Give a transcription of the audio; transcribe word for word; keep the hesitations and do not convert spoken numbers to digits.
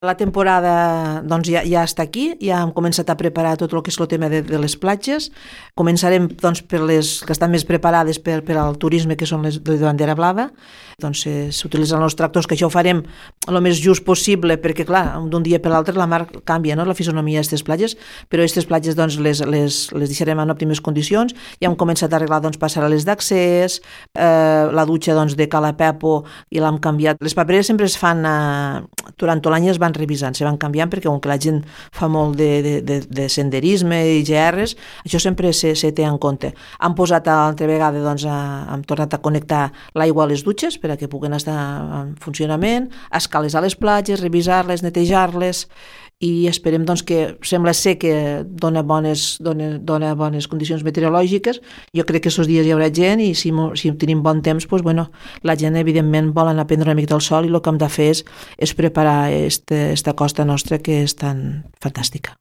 La temporada doncs, ja, ja està aquí, ja hem començat a preparar tot el que és el tema de, de les platges. Començarem doncs, per les que estan més preparades per, per al turisme, que són les de bandera blava. Doncs eh, s'utilitzen els tractors, que això ho farem el més just possible, perquè clar, d'un dia per l'altre la mar canvia, no?, la fisonomia d'aquestes platges, però aquestes platges doncs, les, les, les deixarem en òptimes condicions. Ja hem començat a arreglar doncs, passarel·les d'accés, eh, la dutxa doncs, de Cala Pepo i l'hem canviat. Les papereres sempre es fan, eh, durant tot l'any es van revisant, se van canviant, perquè com que la gent fa molt de, de, de, de senderisme i G Rs, això sempre se, se té en compte. Han posat altra vegada, doncs, a, han tornat a connectar l'aigua a les dutxes perquè puguen estar en funcionament, escales a les platges, revisar-les, netejar-les, i esperem doncs, que sembla ser que dona bones, dona, dona bones condicions meteorològiques. Jo crec que aquests dies hi haurà gent i si, si tenim bon temps, doncs, bueno, la gent evidentment vol anar a prendre una mica del sol i el que hem de fer és, és preparar esta, esta costa nostra que és tan fantàstica.